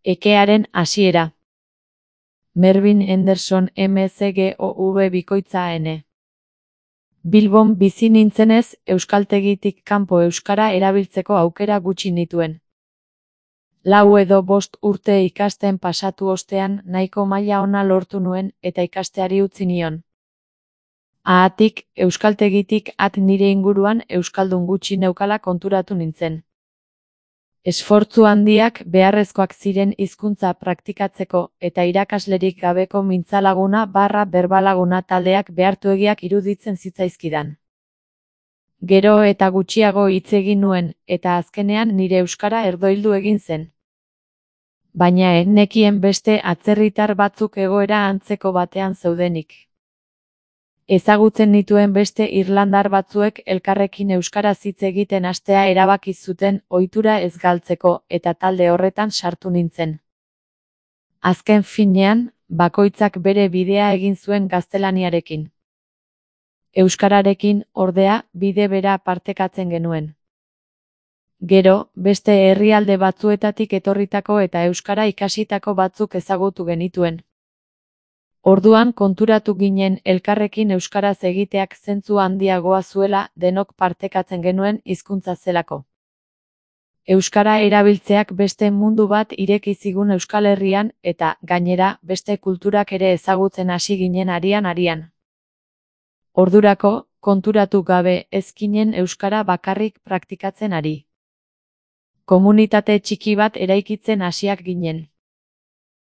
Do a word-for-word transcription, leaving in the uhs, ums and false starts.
Ekearen hasiera. Mervyn Henderson M C G O V bikoitza N. Bilbon bizi nintzenez, euskaltegitik kanpo euskara erabiltzeko aukera gutxi nituen. Lau edo bost urte ikasten pasatu ostean nahiko maila ona lortu nuen eta ikasteari utzi nion. Haatik, euskaltegitik at nire inguruan euskaldun gutxi neukala konturatu nintzen. Esfortzu handiak beharrezkoak ziren hizkuntza praktikatzeko eta irakaslerik gabeko mintzalaguna barra berbalaguna taldeak behartuegiak iruditzen zitzaizkidan. Gero eta gutxiago hitz egin nuen eta azkenean nire euskara erdoildu egin zen. Baina ez nekien beste atzerritar batzuk egoera antzeko batean zeudenik. Ezagutzen nituen beste irlandar batzuek elkarrekin euskaraz hitz egiten hastea erabaki zuten ohitura ez galtzeko eta talde horretan sartu nintzen. Azken finean, bakoitzak bere bidea egin zuen gaztelaniarekin. Euskararekin, ordea, bide bera partekatzen genuen. Gero, beste herrialde batzuetatik etorritako eta euskara ikasitako batzuk ezagutu genituen. Orduan konturatu ginen elkarrekin euskaraz egiteak zentzu handiagoa zuela denok partekatzen genuen hizkuntza zelako. Euskara erabiltzeak beste mundu bat ireki zigun Euskal Herrian eta, gainera, beste kulturak ere ezagutzen hasi ginen arian-arian. Ordurako, konturatu gabe ez ginen euskara bakarrik praktikatzen ari. Komunitate txiki bat eraikitzen hasiak ginen.